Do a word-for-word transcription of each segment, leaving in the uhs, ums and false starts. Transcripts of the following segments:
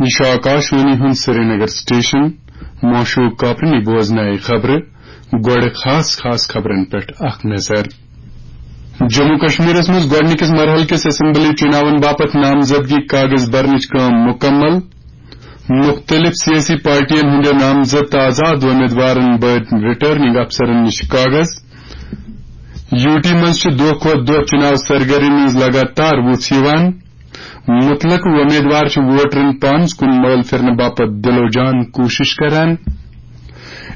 یہِ چھُ آکاشوانی ہُنٛد سرینگر سٹیشن۔ معشوق کاپرنی بوزنایہِ خبرٕ۔ گۄڈٕ خاص خاص خبرن پٮ۪ٹھ اکھ نظر۔ جموں کشمیرس منٛز گۄڈٕنِکِس مرحلہٕ کِس اسمبلی چُناون باپتھ نامزدگی کاغذ برنٕچ کٲم مُکمل۔ مُختٔلِف سیٲسی پارٹین ہٕنٛدیو نامزد تہٕ آزاد وۄمیدوارن بٔرۍ رٹرننگ افسرن نِش کاغذ۔ یوٗ ٹی منٛز چھِ دۄہ کھۄتہٕ دۄہ چُناو سرگرمی منٛز لگاتار وُژھ یِوان۔ مُتلق وۄمیدوار چھِ ووٹرن پانس کُن مٲل پھِرنہٕ باپتھ دِلو جان کوٗشِش کران۔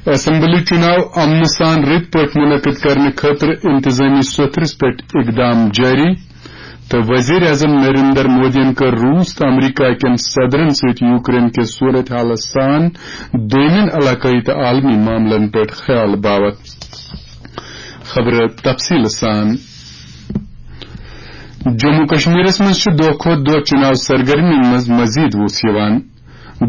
اسمبلی چُناو امنہٕ سان رٕتۍ پٲٹھۍ مُنعقد کرنہٕ خٲطرٕ انتظٲمی سوٚتھرِس پٮ۪ٹھ اقدام جٲری۔ تہٕ وزیر اعظم نریندر مودیَن کٔر روٗس تہٕ امریکہ کٮ۪ن صدرن سۭتۍ یوکرین کِس صورت حالس سان دوٚیمٮ۪ن علاقٲیی تہٕ عالمی معاملن پٮ۪ٹھ خیال باوت۔ خبرٕ تفصیٖل سان۔ جموں کشمیرس منٛز چھِ دۄہ کھۄتہٕ دۄہ چُناو سرگرمی منٛز مزید وُژھ یِوان۔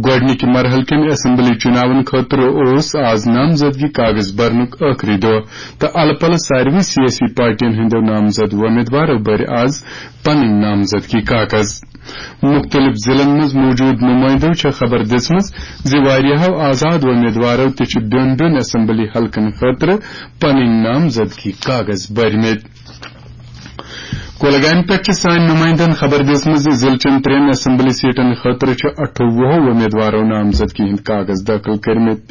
گۄڈٕنِکہِ مرحلہٕ کٮ۪ن اسمبلی چُناون خٲطرٕ اوس آز نامزدگی کاغذ برنُک ٲخری دۄہ تہٕ الہٕ پلہٕ ساروٕے سیٲسی پارٹین ہٕنٛدیو نامزد وۄمیدوارو بٔرۍ آز پنٕنۍ نامزدگی کاغذ۔ مُختٔلِف ضلعن منٛز موٗجوٗد نُمٲیندو چھےٚ خبر دِژمٕژ زِ واریاہو آزاد وۄمیدوارو تہِ چھِ بیوٚن بیوٚن اسمبلی حلقن خٲطرٕ پنٕنۍ نامزدگی کاغذ بٔرمٕتۍ۔ کولگامہِ پٮ۪ٹھ چھِ سانہِ نُمٲیندن خبر دِژمٕژ زِ ضلعہٕ چٮ۪ن ترٛٮ۪ن اسمبلی سیٹن خٲطرٕ چھِ اَٹھووُہو وۄمیدوارو نامزدگی ہٕنٛدۍ کاغذ دٲخل کٔرمٕتۍ۔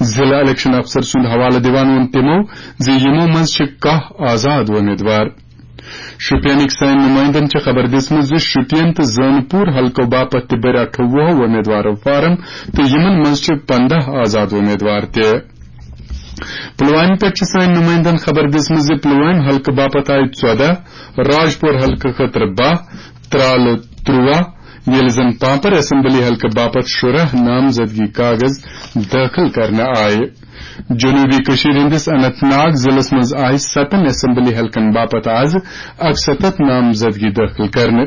ضلعہٕ الیکشن افسر سُنٛد حوالہٕ دِوان ووٚن تِمو زِ یِمو منٛز چھِ کاہ آزاد وۄمیدوار۔ شوپینٕکۍ سٲنۍ نُمٲیندن چھِ خبر دِژمٕژ زِ شوپین تہٕ زٲنہٕ پوٗر حلقو باپتھ تہِ بٔرۍ اَٹھووُہو وۄمیدوارو فارم تہٕ یِمن منٛز چھِ پنٛداہ آزاد وۄمیدوار تہِ۔ پلوامہِ پٮ۪ٹھ چھِ سٲنۍ نُمٲیندن خبر دِژمٕژ زِ پلوامہِ حلقہٕ باپتھ آیہِ ژۄداہ، راجپور حلقہٕ خٲطرٕ باہ، ترالہٕ ترٛواہ، ییٚلہِ زن پانپر اسمبلی حلقہٕ باپتھ شُراہ نامزدگی کاغذ دٲخل کرنہٕ آیہِ۔ جنوبی کٔشیٖر ہٕنٛدِس اننت ناگ ضلعس منٛز آیہِ ستن اسمبلی حلقن باپتھ آز اکستتھ نامزدگی دٲخل کرنہٕ۔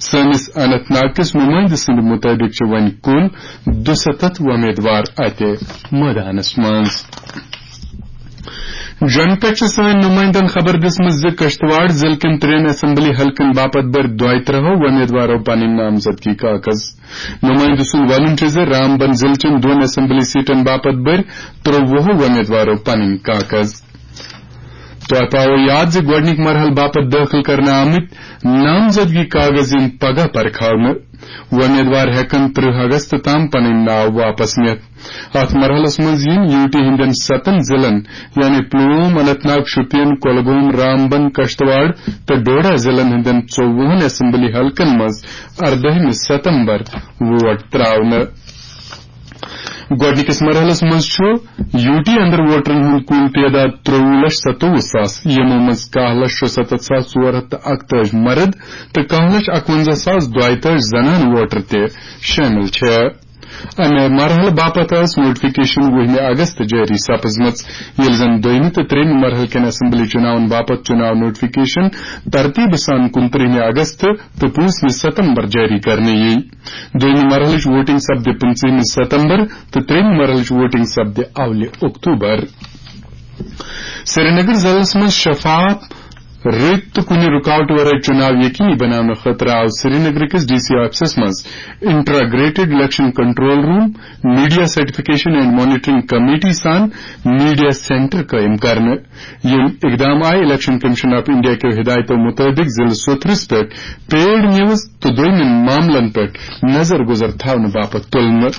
سٲنِس اننت ناگ کِس نُمٲیندٕ سٕنٛدِ مُطٲبِق چھِ وۄنۍ کُل دُسَتتھ وۄمیدوار اَتہِ مٲدانَس منٛز۔ جوٚمہِ پٮ۪ٹھ چھِ سٲنۍ نُمٲیندَن خبر دِژمٕژ زِ کشتواڑ ضلعہٕ کٮ۪ن ترٛٮ۪ن اسمبلی حلقن باپتھ بٔرۍ دۄیہِ ترٛہو وۄمیدوارو پنٕنۍ نامزدگی کاغذ۔ نُمٲیندٕ سُنٛد وَنُن چھُ زِ رامبن ضلعہٕ چٮ۪ن دۄن اسمبلی سیٹن باپتھ بٔرۍ ترٛووُہو وۄمیدوارو پنٕنۍ کاغذ۔ تۄہہِ پاوو یاد زِ گۄڈٕنِکۍ مرحلہٕ باپتھ دٲخل کرنہٕ آمٕتۍ نامزدگی کاغذ یِن پگاہ پرکھاونہٕ۔ وۄمیدوار ہٮ۪کن ترٕہ اگست تام پنٕنۍ ناو واپس نِتھ۔ اتھ مرحلس منٛز یِن یوٗ ٹی ہٕنٛدٮ۪ن ستن ضلعن، یعنی پلوم، اننت ناگ، شوپین، کۄلگوم، رامبن، کشتواڑ تہٕ ڈوڈا ضلعن ہٕنٛدٮ۪ن ژوٚوُہن اسمبلی حلقن منٛز اردٲہمہِ ستمبر ووٹ تراونہٕ۔ گۄڈٕنِکِس مرحلس منٛز چھُ یوٗ ٹی اندر ووٹرن ہُنٛد کُل تعداد ترٛوٚوُہ لچھ ستووُہ ساس، یِمو منٛز کاہ لچھ شُستتھ ساس ژور ہتھ تہٕ اکتٲجی مرد تہٕ کاہ لچھ اکونزہ ساس دۄیتٲجی زنان ووٹر تہِ شٲمِل چھِ۔ امہِ مرحلہٕ باپتھ ٲس نوٹیفکیشن وُہمہِ اگست جٲری سپٕزمٕژ، ییٚلہِ زن دوٚیمہِ تہٕ ترٛیٚیمہِ مرحلہٕ کٮ۪ن اسمبلی چُناون باپتھ چُناو نوٹیفکیشن ترتیٖبہٕ سان کُنترٕہمہِ اگست تہٕ پوٗنٛژمہِ ستمبر جٲری کرنہٕ یِیہِ۔ دوٚیمہِ مرحلٕچ ووٹنگ سپدِ پٕنٛژٕہمہِ ستمبر تہٕ ترٛیٚیمہِ مرحلٕچ ووٹنگ سپدِ اولہِ اکتوبر۔ سرینگر ضلعس منٛز شفاف، رٕتۍ تہٕ کُنہِ رُکاوٹ ورٲے چُناو یقینی بناونہٕ خٲطرٕ آو سرینگر کِس ڈی سی آفسس منٛز integrated election control room, media certification and monitoring committee سان میڈیا سینٹر قٲیِم کرنہٕ۔ یِم اقدام آیہِ الیکشن کمیشن آف انڈیا کیو ہدایتو مُطٲبِق ضلعہٕ سوتھرس پٮ۪ٹھ پیڈ نیوز تہٕ دوٚیمٮ۪ن معاملن پٮ۪ٹھ نظر گُزر تھاونہٕ باپتھ تُلنہٕ۔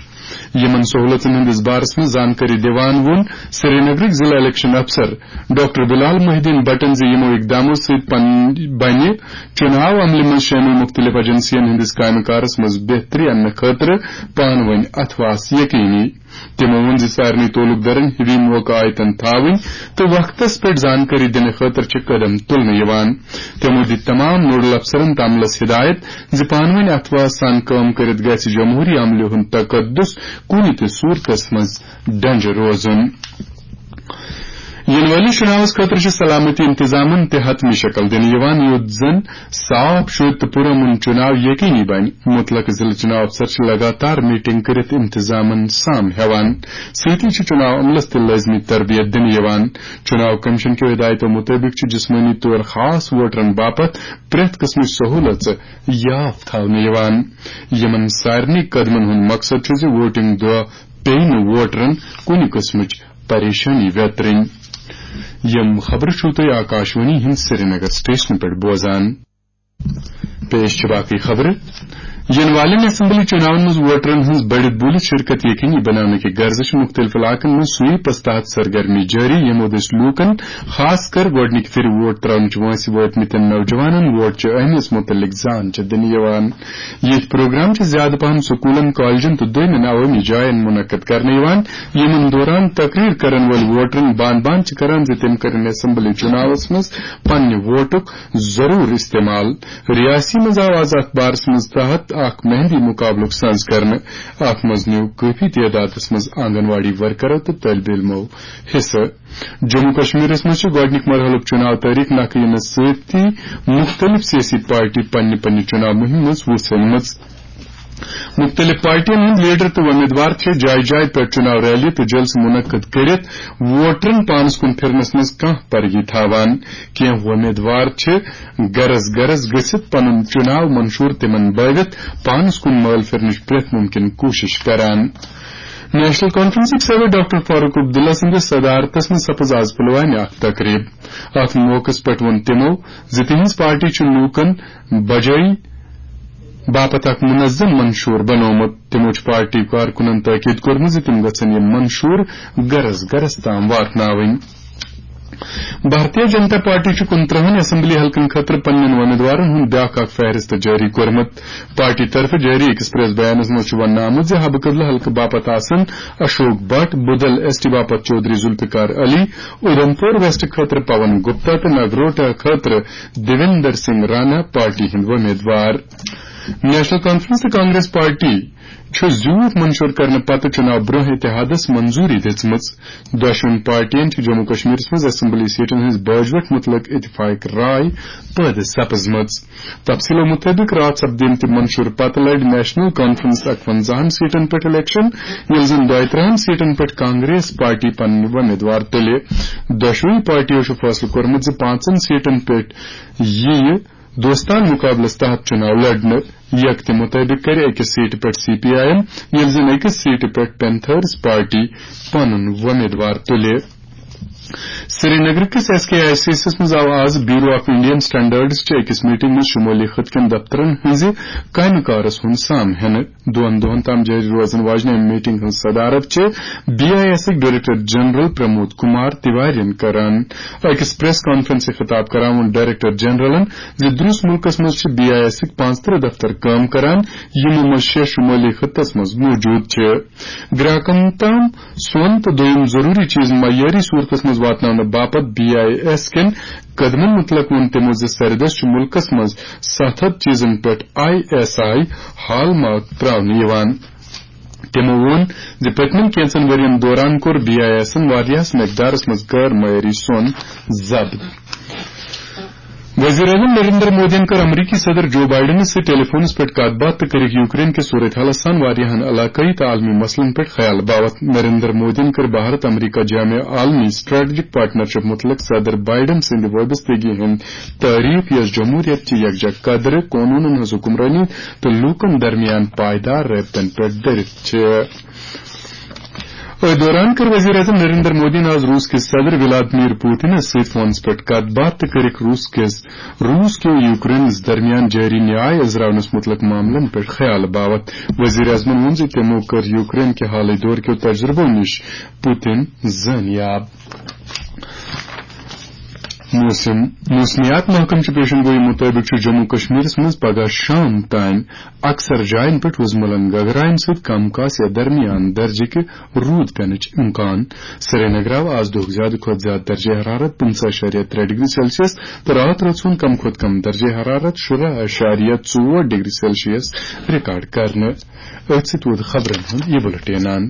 یِمن سہوٗلژن ہٕنٛدِس بارس منٛز زانکٲری دِوان ووٚن سرینگرٕکۍ ضلعہٕ الیکشن افسر ڈاکٹر بلال محی الدین بٹن زِ یِمو اقدامو سۭتۍ پن-، بنہِ چُناو عملہِ منٛز شٲمِل مُختٔلِف ایجنسین ہٕنٛدِس کامہِ کارس منٛز بہتری اننہٕ خٲطرٕ پانہٕ ؤنۍ اتھواس یقینی۔ تِمو ووٚن زِ سارنٕے تعلقدارن ہِوی موقعہٕ آیتن تھاوٕنۍ تہٕ وقتس پٮ۪ٹھ زانکٲری دِنہٕ خٲطرٕ چھِ قدم تُلنہٕ یِوان۔ تِمو دِتۍ تمام نوڈل افسرن تہٕ عملس ہدایت زِ پانہٕ ؤنۍ اتھواس سان کٲم کٔرِتھ گژھِ جمہوری عملہِ ہُنٛد تقدس کُنہِ تہِ صورتس منٛز ڈنجہِ روزُن۔ یِنہٕ وٲلِس چُناوس خٲطرٕ چھِ سلامتی انتظامن تہِ حتمی شکل دِنہٕ یِوان، یُتھ زن صاف، شوٗد تہٕ پُرامن چُناو یقینی بنہِ۔ مُتلقہٕ ضلعہٕ چُناو افسر چھِ لگاتار میٹنگ کٔرِتھ انتظامن سام ہٮ۪وان۔ سۭتی چھِ چُناو عملس تہِ لٲزمی تربیت دِنہٕ یِوان۔ چُناو کمیشن کیو ہدایتو مُطٲبِق چھِ جسمٲنی طور خاص ووٹرن باپتھ پرٛٮ۪تھ قٕسمٕچ سہوٗلژٕ یاف تھاونہٕ یِوان۔ یِمن سارنٕے قدمن ہُنٛد مقصد چھُ زِ ووٹنگ دۄہ پیٚیہِ نہٕ ووٹرن کُنہِ قٕسمٕچ پریشٲنی ویترٕنۍ۔ یِم خبرٕ چھِو تُہۍ آکاشوانی ہٕنٛدِ سرینگر سٹیشنہٕ پٮ۪ٹھ بوزان۔ پیش چھِ باقٕے خبرٕ۔ یِنہٕ والٮ۪ن اسمبلی چُناون منٛز ووٹرن ہٕنٛز بٔڑِتھ بوٗلِتھ شرکت یقینی بناونہٕ کہِ غرضہٕ چھِ مُختٔلِف علاقن منٛز سویپس تحت سرگرمی جٲری، ییٚمہِ مدتہٕ لوٗکن خاص کر گۄڈٕنِکہِ پھِرِ ووٹ ترٛاونٕچ وٲنٛسہِ وٲتمٕتٮ۪ن نوجوانن ووٹ چہِ اہمیت مُتعلق زان چھِ دِنہٕ یِوان۔ یِتھۍ پروگرام چھِ زیادٕ پہم سکوٗلن، کالجن تہٕ دوٚیمٮ۪ن عوٲمی جاین منعقد کرنہٕ یِوان۔ یِمن دوران تقریر کرن وٲلۍ ووٹرن بان بان چھِ کران زِ تِم کرن اسمبلی چُناوس منٛز پننہِ ووٹُک ضروٗر استعمال۔ ریاسی منٛز آو آز اتھ بارس منٛز تحت اکھ مہندی مقابلُک سنز کرنہٕ۔ اتھ منٛز نیوٗ کٲفی تعدادس منٛز آنگن واڑی ورکرو تہٕ طٲلبہِ علمو حصہٕ۔ جموں کشمیرس منٛز چھُ گۄڈٕنیُک مرحلُک چُناو تٲریخ نکھٕ یِنس سۭتی مُختٔلِف سیٲسی پارٹی پننہِ پننہِ چُناو مُہِمہِ منٛز وُژھ أنمٕژ۔ مُختٔلِف پارٹیَن ہٕنٛدۍ لیڈر تہٕ وۄمیدوار چھِ جایہِ جایہِ پٮ۪ٹھ چُناو ریلی تہٕ جلسہٕ منعقد کٔرِتھ ووٹرن پانَس کُن پھِرنَس منٛز کانٛہہ پرگی تھاوان۔ کینٛہہ وۄمیدوار چھِ گرس گرس گٔژھِتھ پنُن چُناو منشور تِمن بٲوِتھ پانَس کُن مٲل پھِرنٕچ پرٛٮ۪تھ مُمکِن کوٗشِش کران۔ نیشنل کانفرنسٕکۍ صدر ڈاکٹر فاروق عبداللہ سٕنٛدِس صدارتس منٛز سپٕز آز پلوامہِ اکھ تقریب۔ اتھ موقعس پٮ۪ٹھ ووٚن تِمو زِ تِہنٛز پارٹی چھِ لوٗکن بجٲیی باپتھ اکھ منظم منشور بنوومُت۔ تِمو چھُ پارٹی کارکُنن تٲکید کوٚرمُت زِ تِم گژھن یِم منشور گرس گرس تام واتناوٕنۍ۔ بھارتیہ جنتا پارٹی چھُ کُنترٕہن اسمبلی حلقن خٲطرٕ پننٮ۪ن وۄمیدوارن ہُنٛد بیٛاکھ اکھ فہرست جٲری کوٚرمُت۔ پارٹی طرفہٕ جٲری أکِس پریس بیانس منٛز چھُ وننہٕ آمُت زِ حبہٕ قبلہٕ حلقہٕ باپتھ آسن اشوک بٹ، بدل ایس ٹی باپتھ چودھری ذوالفقار علی، اُدھمپور ویسٹ خٲطرٕ پون گپتا تہٕ نگروٹا خٲطرٕ دیویندر سنگھ رانا پارٹی ہٕنٛدۍ وۄمیدوار۔ نیشنل کانفرنس تہٕ کانگریس پارٹی چھُ زیوٗٹھ منشور کرنہٕ پتہٕ چُناو برٛونٛہہ اتحادس منظوٗری دِژمٕژ۔ دۄشوٕنی پارٹیَن چھُ جموں کشمیرس منٛز اسمبلی سیٹن ہٕنٛز باجوٹ مُتعلق اتفاق راے پٲدٕ سپٕزمٕژ۔ تفصیلو مُطٲبِق راتھ سپدیمتہِ منشور پتہٕ لڑِ نیشنل کانفرنس اکوَنزاہن سیٹن پٮ۪ٹھ الیکشن، ییٚلہِ زن دۄیہِ ترٕٛہن سیٹن پٮ۪ٹھ کانگریس پارٹی پنٕنۍ وۄمیدوار تُلہِ۔ دۄشوٕنی پارٹیو چھُ فٲصلہٕ کوٚرمُت زِ پانٛژن سیٹن پٮ۪ٹھ یِیہِ دوستانہٕ مُقابلس تحت چُناو لڑنہٕ۔ یکتہِ مُطٲبِق کرِ أکِس سیٹہِ پٮ۪ٹھ سی پی آئی ایم، ییٚلہِ زن أکِس سیٹہِ پٮ۪ٹھ پینتھرز پارٹی پنُن وۄمیدوار تُلہِ۔ سرینگر کِس S K I C S منٛز آو آز بیورو آف انڈین سٹینڈرڈز چہِ أکِس میٹنگ منٛز شمٲلی خطہٕ کٮ۪ن دفترن ہٕنٛزِ کامہِ کارس ہُنٛد سام ہینہٕ۔ دۄن دۄہن تام جٲری روزن واجنہِ امہِ میٹنگ ہٕنٛز صدارت چھِ بی آئی ایسٕکۍ ڈائریکٹر جنرل پرمود کمار تیواریَن کران۔ أکِس پریس کانفرنسہِ خطاب کران ووٚن ڈائریکٹر جنرلن زِ درٛوس مُلکس منٛز چھِ بی آئی ایسٕکۍ پانٛژترٕٛہ دفتر کٲم کران، یِمو منٛز شےٚ شمٲلی خطس منٛز موجود چھِ۔ گراکن تام سۄن تہٕ دوٚیِم ضروٗری چیٖز معیٲری صوٗرتس منٛز واتناونہٕ باپتھ بی آئی ایس کٮ۪ن قدمن مُتعلق ووٚن تِمو زِ سرِ دٔسۍ چھُ مُلکس منٛز ستھ ہتھ چیٖزن پٮ۪ٹھ I S I hall mark ترٛاونہٕ یِوان۔ تِمو ووٚن زِ پٔتمٮ۪ن کینٛژن ؤرین دوران کوٚر بی آئی ایسن واریاہس مقدارس منٛز غٲر معیٲری سۄن ضبط۔ وزیر اعظم نریندر مودیَن کٔر امریکی صدر جو بائیڈنَس سۭتۍ ٹیلی فونَس پٮ۪ٹھ کتھ باتھ تہٕ کٔرٕکھ یوکرین کِس صورتحالَس سان واریاہَن علاقٲیی تہٕ عالمی مسلن پٮ۪ٹھ خیال باوتھ۔ نریندر مودیَن کٔر بھارت امریکہ جامع عالمی سٹریٹجک پارٹنرشپ مُتعلق صدر بائیڈن سٕنٛدِ وابستگی ہٕنٛد تعریف، یۄس جمہوریت چہِ یکجا قدرٕ، قونوٗنن ہٕنٛز حکمرٲنی تہٕ لوٗکن درمیان پائیدار رٲبطن پٮ۪ٹھ دٔرِتھ چھِ۔ أتھۍ دوران کٔر وزیر اعظم نریندر مودیَن آز روٗس کِس صدر ولادمیر پوتنَس سۭتۍ فونَس پٮ۪ٹھ کَتھ باتھ تہٕ کٔرٕکھ روٗس کِس، روٗس کیو یوکرینَس درمیان جٲری نیاے أزراونَس مُتعلق معاملَن پٮ۪ٹھ خیال باوتھ۔ وزیر اعظمَن ووٚن زِ تِمَو کٔر یوکرین کہِ حالٕے دورٕ کیو تجربو نِش پوتن زٲنیاب۔ موسم۔ موسمیات محکمہٕ چہِ پیشن گویی مُطٲبِق چھُ جموں کشمیرَس منٛز پگہہ شام تام اکثر جاین پٮ۪ٹھ وُزملن گگراین سۭتۍ کم کاس یا درمیان درجہٕ کہِ روٗد پینٕچ امکان۔ سرینگر آو آز دۄہُک زیادٕ کھۄتہٕ زیادٕ درجہ حرارت پٕنٛژٕہ اَشاریہ ترٛےٚ ڈگری سیلسیس تہٕ راتھ رٲژ ہُنٛد کم کھۄتہٕ کم درجہ حرارت شُراہ اَشاریہ ژور ڈگری سیلسیس ریکارڈ کرنہٕ۔ أتھۍ سۭتۍ ووت خبرن ہُنٛد یہِ بُلٹین۔